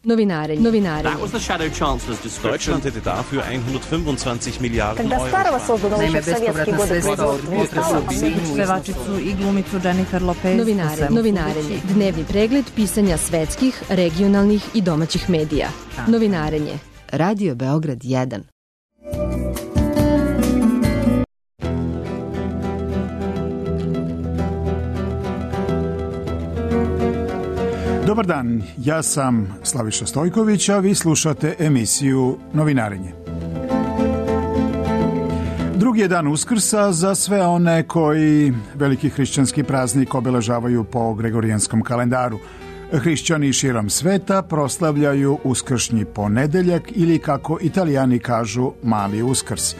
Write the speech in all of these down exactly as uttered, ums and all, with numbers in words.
Novinarenje. Novinarenje. That was the Shadow Chancellor's description. Deutschland hätte dafür hundertfünfundzwanzig Milliarden Когда Euro. старого создано Naime, еще в советские годы производства. Pevačicu i glumicu Jennifer Lopez. Novinarenje. Novinarenje. Dnevni pregled pisanja svetskih, regionalnih i domaćih medija. Novinarenje. Radio Beograd jedan. Dobar dan, ja sam Slaviša Stojković, a vi slušate emisiju Novinarenje. Drugi je dan Uskrsa za sve one koji veliki hrišćanski praznik obeležavaju po gregorijanskom kalendaru. Hrišćani širom sveta proslavljaju uskršnji ponedeljak ili, kako Italijani kažu, mali Uskrs.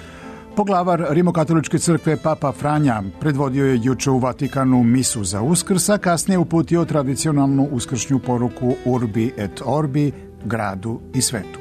Poglavar Rimokatoličke crkve Papa Franja predvodio je juče u Vatikanu misu za Uskrs, a kasnije uputio tradicionalnu uskršnju poruku Urbi et Orbi, gradu i svetu.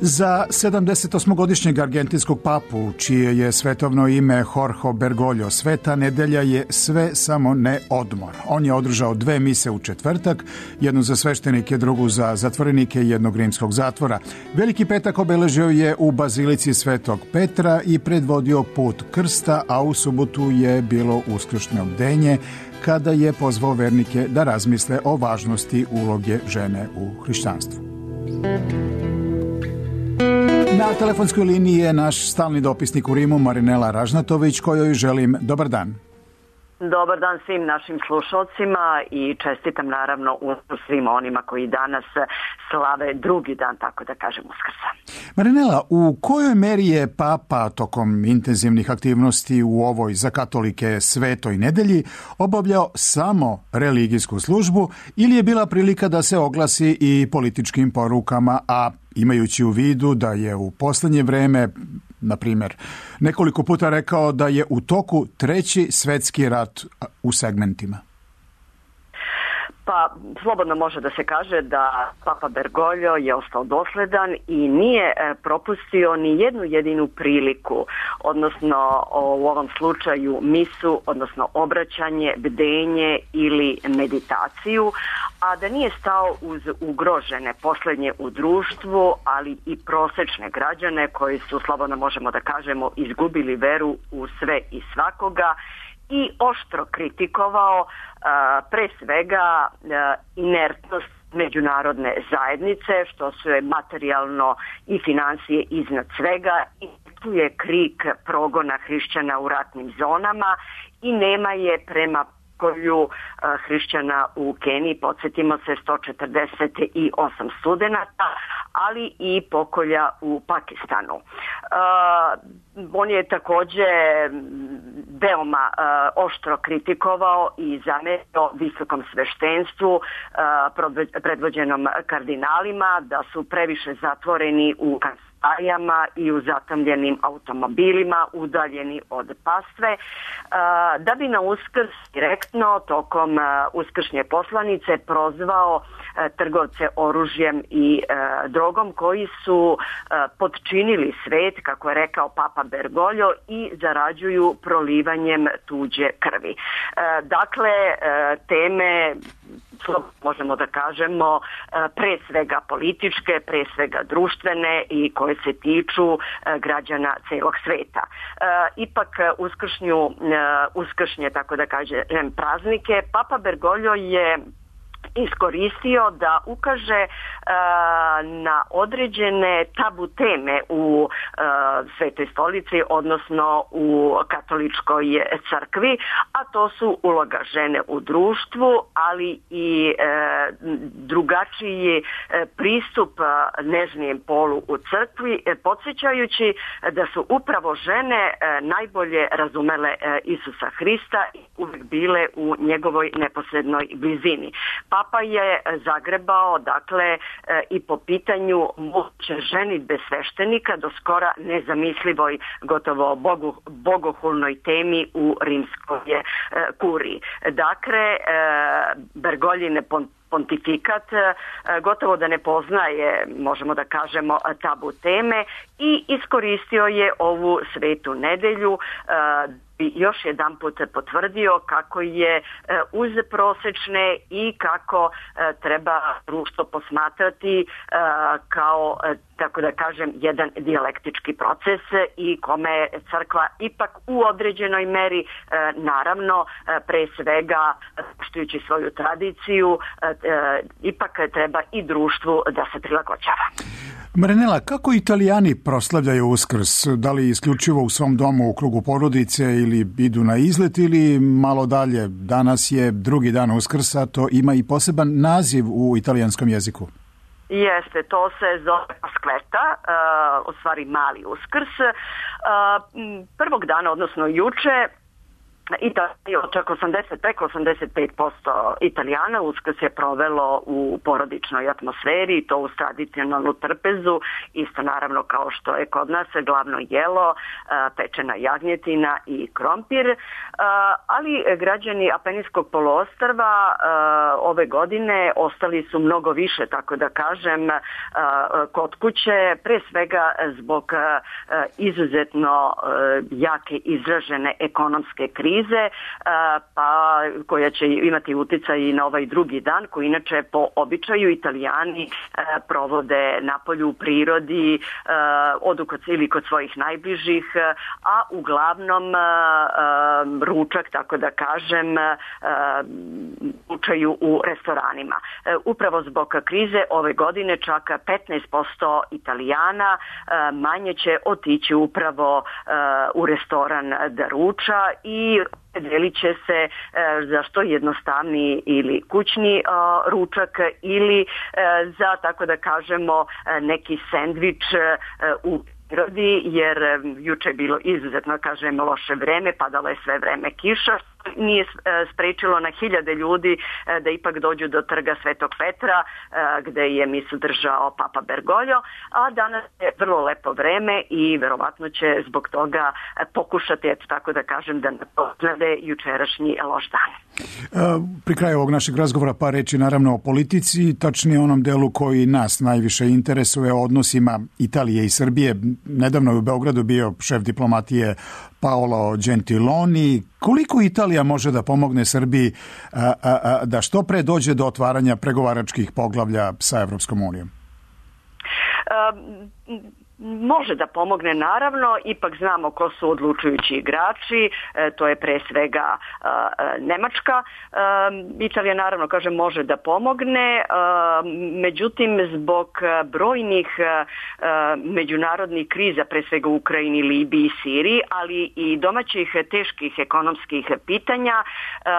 Za sedamdesetosmogodišnjeg argentinskog papu, čije je svetovno ime Jorge Bergoglio, Sveta nedelja je sve samo ne odmor. On je održao dve mise u četvrtak, jednu za sveštenike, drugu za zatvorenike jednog rimskog zatvora. Veliki petak obeležio je u bazilici Svetog Petra i predvodio put krsta, a u subotu je bilo uskršnje bdenje, kada je pozvao vernike da razmisle o važnosti uloge žene u hrišćanstvu. Na telefonskoj liniji je naš stalni dopisnik u Rimu, Marinela Ražnatović, kojoj želim dobar dan. Dobar dan svim našim slušalcima i čestitam naravno svim onima koji danas slave drugi dan, tako da kažem, Uskrsa. Marinela, u kojoj meri je Papa tokom intenzivnih aktivnosti u ovoj za katolike svetoj nedelji obavljao samo religijsku službu ili je bila prilika da se oglasi i političkim porukama, a imajući u vidu da je u poslednje vreme, na primjer, nekoliko puta rekao da je u toku treći svetski rat u segmentima? Pa, slobodno može da se kaže da Papa Bergoglio je ostao dosledan i nije propustio ni jednu jedinu priliku, odnosno u ovom slučaju misu, odnosno obraćanje, bdenje ili meditaciju, a da nije stao uz ugrožene poslednje u društvu, ali i prosečne građane koji su, slobodno možemo da kažemo, izgubili veru u sve i svakoga, i oštro kritikovao a, pre svega a, inertnost međunarodne zajednice, što su je materijalno i financije iznad svega, i tu je krik progona hrišćana u ratnim zonama i nema je prema kolju hrišćana u Keniji, podsjetimo se, sto četrdeset osam studenata, ali i pokolja u Pakistanu. Uh, on je takođe veoma uh, oštro kritikovao i zamerio visokom sveštenstvu, uh, predvođenom kardinalima, da su previše zatvoreni u kancelarijama i u zatamljenim automobilima, udaljeni od pastve, uh, da bi na Uskrs direktno tokom uh, uskršnje poslanice prozvao uh, trgovce oružjem i uh, drogom koji su uh, potčinili svet, kako je rekao Papa Bergoglio, i zarađuju prolivanjem tuđe krvi. Uh, dakle, uh, teme, možemo da kažemo, pre svega političke, pre svega društvene i koje se tiču građana celog sveta. Ipak uskršnju, uskršnje, tako da kažem, praznike, Papa Bergoglio je iskoristio da ukaže uh, na određene tabu teme u uh, Svetoj stolici, odnosno u katoličkoj crkvi, a to su uloga žene u društvu, ali i uh, drugačiji uh, pristup uh, nežnijem polu u crkvi, uh, podsjećajući da su upravo žene uh, najbolje razumele uh, Isusa Hrista i uvijek bile u njegovoj neposrednoj blizini. Papa je zagrebao, dakle, i po pitanju moguće ženidbe sveštenika do skora nezamislivoj, gotovo bogu, bogohulnoj temi u rimskoj kuriji. Dakle, Bergoglio ne pontifikat gotovo da ne poznaje, možemo da kažemo, tabu teme i iskoristio je ovu svetu nedelju i još jedan put potvrdio kako je uz prosečne i kako treba društvo posmatrati kao, tako da kažem, jedan dijalektički proces i kome crkva ipak u određenoj meri, naravno, pre svega poštujući svoju tradiciju, ipak treba i društvu da se prilagođava. Marinela, kako Italijani proslavljaju Uskrs? Da li isključivo u svom domu u krugu porodice ili idu na izlet ili malo dalje? Danas je drugi dan Uskrsa, to ima i poseban naziv u italijanskom jeziku. Jeste, to se zove Pasquetta, uh, u stvari mali Uskrs. Uh, prvog dana, odnosno juče, Italija, čak osamdeset, preko osamdeset pet posto Italijana Uskrs je provelo u porodičnoj atmosferi, to uz tradicionalnu trpezu, isto naravno kao što je kod nas glavno jelo, pečena jagnjetina i krompir, ali građani Apenijskog poluostrva ove godine ostali su mnogo više, tako da kažem, kod kuće, pre svega zbog izuzetno jake izražene ekonomske krize, pa koja će imati uticaj i na ovaj drugi dan, koji inače po običaju Italijani provode napolju u prirodi, odu kod, ili kod svojih najbližih, a uglavnom ručak, tako da kažem, ručaju u restoranima. Upravo zbog krize ove godine čak petnaest posto Italijana manje će otići upravo u restoran da ruča i delit će se za što jednostavniji ili kućni ručak ili za, tako da kažemo, neki sendvič u prirodi, jer juče je bilo izuzetno, kažem, loše vreme, padalo je sve vreme kiša, nije sprečilo na hiljade ljudi da ipak dođu do trga Svetog Petra, gde je misu držao Papa Bergoglio, a danas je vrlo lepo vreme i verovatno će zbog toga pokušati, eto tako da kažem, da nadoknade jučerašnji loš dan. Pri kraju ovog našeg razgovora par reći naravno o politici, tačnije onom delu koji nas najviše interesuje, o odnosima Italije i Srbije. Nedavno je u Beogradu bio šef diplomatije Paolo Gentiloni. Koliko Italija može da pomogne Srbiji a, a, a, da što pre dođe do otvaranja pregovaračkih poglavlja sa Evropskom unijom? Um, Može da pomogne, naravno, ipak znamo ko su odlučujući igrači, e, to je pre svega e, Nemačka. E, Italija, naravno, kaže, može da pomogne, e, međutim, zbog brojnih e, međunarodnih kriza, pre svega u Ukrajini, Libiji i Siriji, ali i domaćih teških ekonomskih pitanja, e,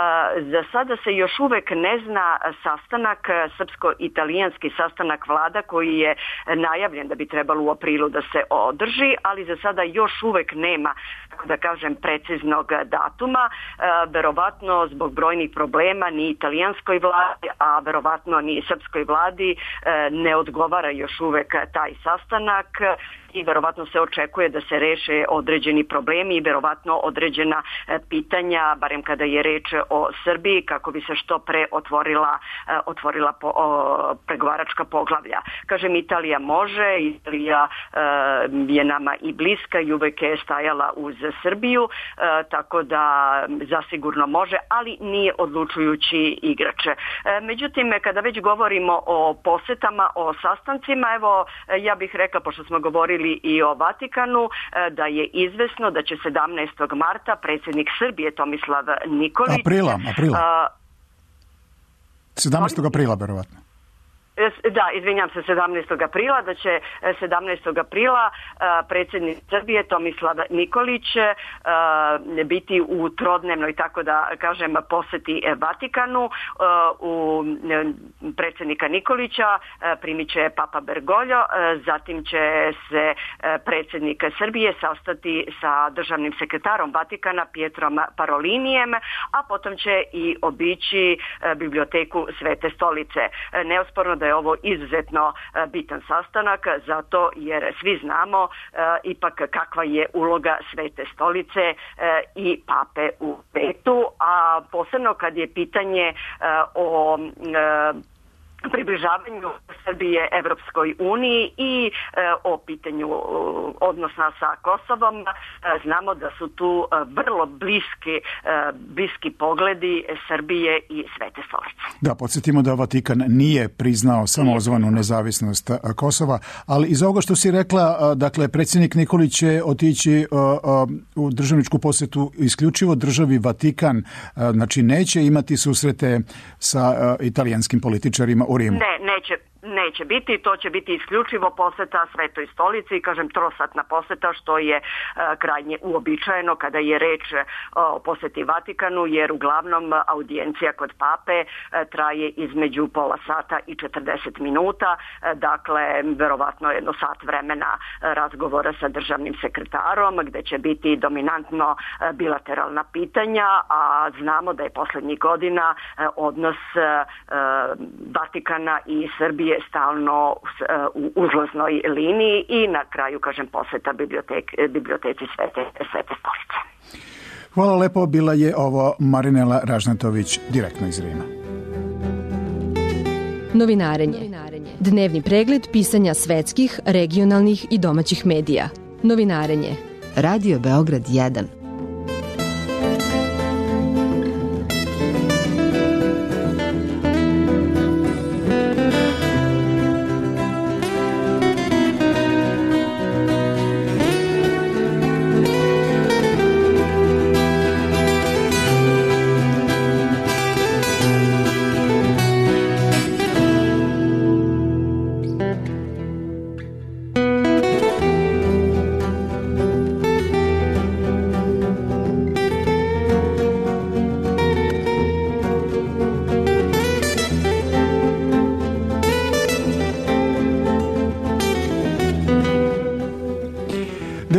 za sada se još uvek ne zna sastanak, srpsko-italijanski sastanak vlada koji je najavljen da bi trebalo u aprilu da se održi, ali za sada još uvek nema, tako da kažem, preciznog datuma. E, verovatno zbog brojnih problema ni italijanskoj vladi, a verovatno ni srpskoj vladi e, ne odgovara još uvek taj sastanak i verovatno se očekuje da se reše određeni problemi i verovatno određena pitanja, barem kada je reč o Srbiji, kako bi se što pre otvorila, otvorila po, o, pregovaračka poglavlja. Kažem, Italija može, Italija e, je nama i bliska i uvek je stajala uz Srbiju, e, tako da zasigurno može, ali nije odlučujući igrač. E, međutim, kada već govorimo o posetama, o sastancima, evo, ja bih rekla, pošto smo govorili i o Vatikanu, da je izvesno da će sedamnaestog marta predsjednik Srbije Tomislav Nikolić... Aprila, aprila. sedamnaestog aprila, verovatno. Da, izvinjam se, sedamnaestog aprila, da će sedamnaestog aprila predsjednik Srbije Tomislav Nikolić biti u trodnevnoj, tako da kažem, poseti Vatikanu. U predsjednika Nikolića primit će Papa Bergoglio, zatim će se predsjednik Srbije sastati sa državnim sekretarom Vatikana Pietrom Parolinijem, a potom će i obići biblioteku Svete stolice. Neosporno da je ovo izuzetno bitan sastanak, zato jer svi znamo ipak kakva je uloga Svete stolice i pape u svetu, a posebno kad je pitanje o približavanju Srbije Evropskoj uniji i e, o pitanju odnosa sa Kosovom. E, znamo da su tu e, vrlo bliski, e, bliski pogledi Srbije i Svete stolice. Da, podsjetimo da Vatikan nije priznao samozvanu nezavisnost Kosova, ali iz ovoga što si rekla, dakle, predsjednik Nikolić će otići uh, uh, u državničku posjetu isključivo državi Vatikan, uh, znači neće imati susrete sa uh, italijanskim političarima u Rimu. Ne, neće. Neće biti, to će biti isključivo poseta Svetoj stolici i kažem trosatna poseta, što je e, krajnje uobičajeno kada je reč e, o poseti Vatikanu, jer uglavnom audijencija kod pape e, traje između pola sata i četrdeset minuta, e, dakle verovatno jedno sat vremena razgovora sa državnim sekretarom gdje će biti dominantno e, bilateralna pitanja, a znamo da je posljednjih godina e, odnos e, Vatikana i Srbije je stalno u uzlaznoj liniji i na kraju, kažem, poseta bibliotek, biblioteci Svete, Svete stolice. Hvala lepo, bila je ovo Marinela Ražnatović direktno iz Rima. Novinarenje. Dnevni pregled pisanja svetskih, regionalnih i domaćih medija. Novinarenje. Radio Beograd jedan.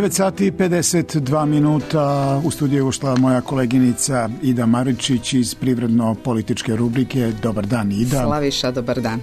devet sati i pedeset dva minuta, u studiju ušla moja koleginica Ida Maričić iz privredno-političke rubrike. Dobar dan, Ida. Slaviša, dobar dan.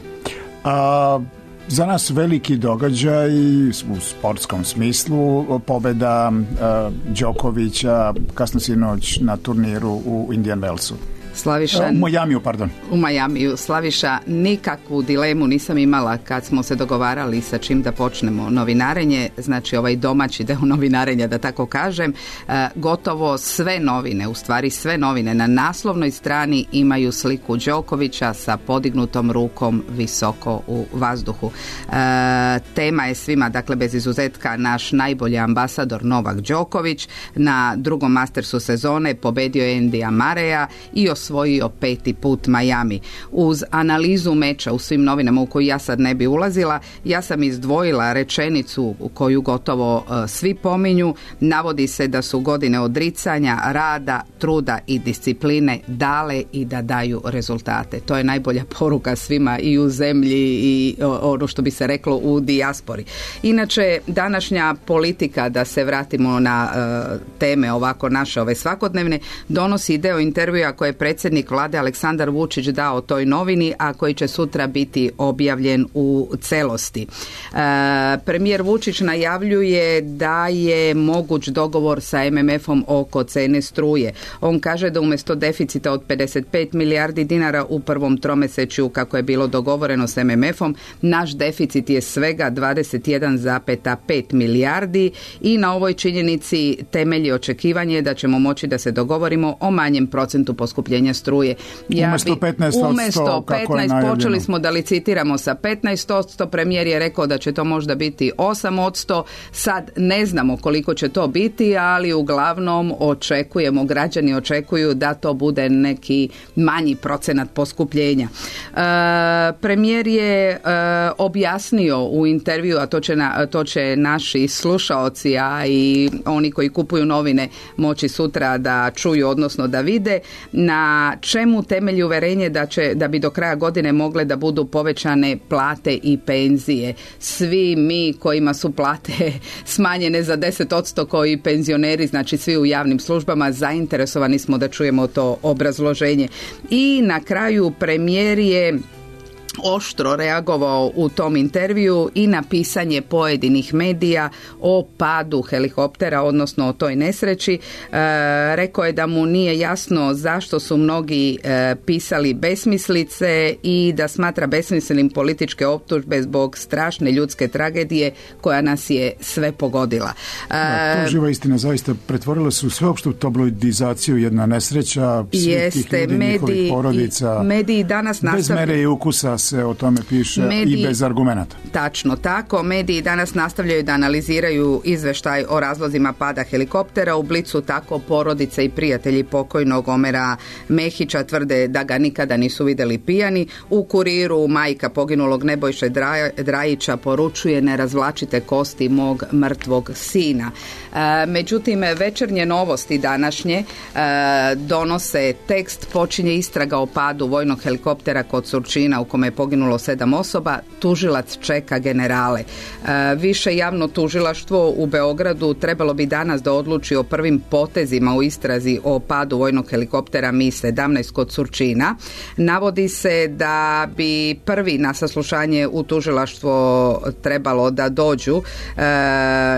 A, za nas veliki događaj u sportskom smislu, pobjeda a, Đokovića kasno sinoć na turniru u Indian Wellsu. Slaviša, u Majamiju, pardon. U Majamiju. Slaviša, nikakvu dilemu nisam imala kad smo se dogovarali sa čim da počnemo novinarenje, znači ovaj domaći deo novinarenja, da tako kažem. E, gotovo sve novine, u stvari sve novine na naslovnoj strani imaju sliku Đokovića sa podignutom rukom visoko u vazduhu. E, tema je svima, dakle bez izuzetka, naš najbolji ambasador Novak Đoković. Na drugom Mastersu sezone pobedio je Endija Mareja i osvojio peti put Miami. Uz analizu meča u svim novinama u koju ja sad ne bi ulazila, ja sam izdvojila rečenicu koju gotovo uh, svi pominju. Navodi se da su godine odricanja, rada, truda i discipline dale i da daju rezultate. To je najbolja poruka svima i u zemlji i ono što bi se reklo u dijaspori. Inače, današnja politika, da se vratimo na uh, teme ovako naše ove svakodnevne, donosi deo intervjua koje je predsjednik vlade Aleksandar Vučić dao toj novini, a koji će sutra biti objavljen u celosti. E, premijer Vučić najavljuje da je moguć dogovor sa em em efom oko cene struje. On kaže da umjesto deficita od pedeset pet milijardi dinara u prvom tromesečju, kako je bilo dogovoreno s em em efom, naš deficit je svega dvadeset jedan zarez pet milijardi i na ovoj činjenici temelji očekivanje da ćemo moći da se dogovorimo o manjem procentu poskupljenja struje. Ja umjesto petnaest posto, umjesto petnaest kako je počeli smo da licitiramo sa petnaest posto, premijer je rekao da će to možda biti osam posto, sad ne znamo koliko će to biti, ali uglavnom očekujemo, građani očekuju da to bude neki manji procenat poskupljenja. E, premijer je e, objasnio u intervju, a to će, na, to će naši slušaoci, a i oni koji kupuju novine moći sutra da čuju, odnosno da vide, na čemu temelji uverenje da će, da bi do kraja godine mogle da budu povećane plate i penzije. Svi mi kojima su plate smanjene za deset posto kao i penzioneri, znači svi u javnim službama, zainteresovani smo da čujemo to obrazloženje. I na kraju premijer je oštro reagovao u tom intervju i na pisanje pojedinih medija o padu helikoptera, odnosno o toj nesreći. E, rekao je da mu nije jasno zašto su mnogi e, pisali besmislice i da smatra besmislenim političke optužbe zbog strašne ljudske tragedije koja nas je sve pogodila. E, da, to živa istina, zaista pretvorila su sveopštu tabloidizaciju jedna nesreća svih jeste, tih ljudi, mediji, njihovih porodica. Mediji danas nastavljaju. Bez mere i ukusa se o tome piše mediji, i bez argumenata. Tačno tako. Mediji danas nastavljaju da analiziraju izveštaj o razlozima pada helikoptera. U Blicu tako porodice i prijatelji pokojnog Omera Mehića tvrde da ga nikada nisu vidjeli pijani. U Kuriru majka poginulog Nebojše Drajića poručuje: ne razvlačite kosti mog mrtvog sina. E, međutim, Večernje novosti današnje e, donose tekst: počinje istraga o padu vojnog helikoptera kod Surčina u kome je poginulo sedam osoba, tužilac čeka generale. E, više javno tužilaštvo u Beogradu trebalo bi danas da odluči o prvim potezima u istrazi o padu vojnog helikoptera Mi sedamnaest kod Surčina. Navodi se da bi prvi na saslušanje u tužilaštvo trebalo da dođu e,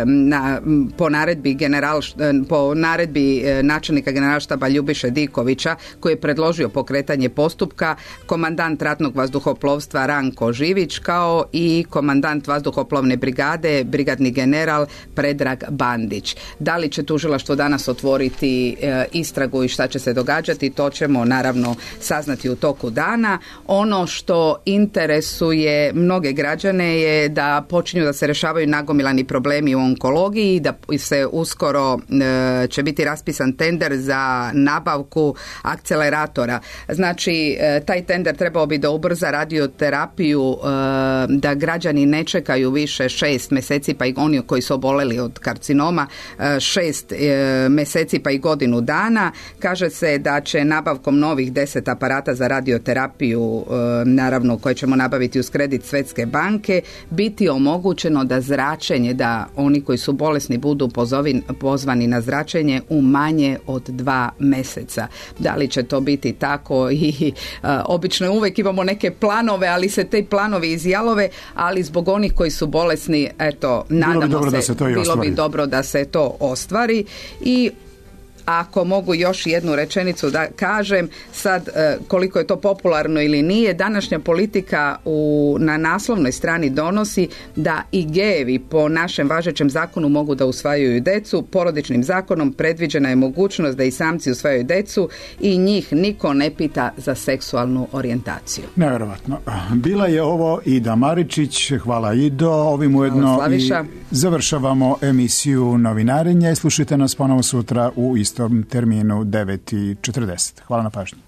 na, po naredbi general, po naredbi načelnika generalštaba Ljubiše Dikovića, koji je predložio pokretanje postupka, komandant ratnog vazduhoplovstva Ranko Živić, kao i komandant vazduhoplovne brigade, brigadni general Predrag Bandić. Da li će tužilaštvo danas otvoriti e, istragu i šta će se događati, to ćemo naravno saznati u toku dana. Ono što interesuje mnoge građane je da počinju da se rešavaju nagomilani problemi u onkologiji, da se uskoro e, će biti raspisan tender za nabavku akceleratora. Znači, e, taj tender trebao bi da ubrza radioterapiju, e, da građani ne čekaju više šest mjeseci, pa i oni koji su oboleli od karcinoma, e, šest e, mjeseci pa i godinu dana. Kaže se da će nabavkom novih deset aparata za radioterapiju, e, naravno koje ćemo nabaviti uz kredit Svjetske banke, biti omogućeno da zračenje, da oni koji su bolesni budu pozovin, pozvani na zračenje u manje od dva mjeseca. Da li će to biti tako? I e, obično uvijek imamo neke planove, ali se te planovi izjalove, ali zbog onih koji su bolesni, eto, nadamo bilo bi dobro se, da se to i bilo ostvari. bi dobro da se to ostvari. I ako mogu još jednu rečenicu da kažem, sad koliko je to popularno ili nije, današnja politika u, na naslovnoj strani donosi da i gejevi po našem važećem zakonu mogu da usvajaju decu. Porodičnim zakonom predviđena je mogućnost da i samci usvajaju decu i njih niko ne pita za seksualnu orijentaciju. Nevjerovatno. Bila je ovo Ida Maričić, hvala Ido. Ovim ujedno i završavamo emisiju Novinarenje. Slušajte nas ponovo sutra u istom terminu devet i četrdeset. Hvala na pažnji.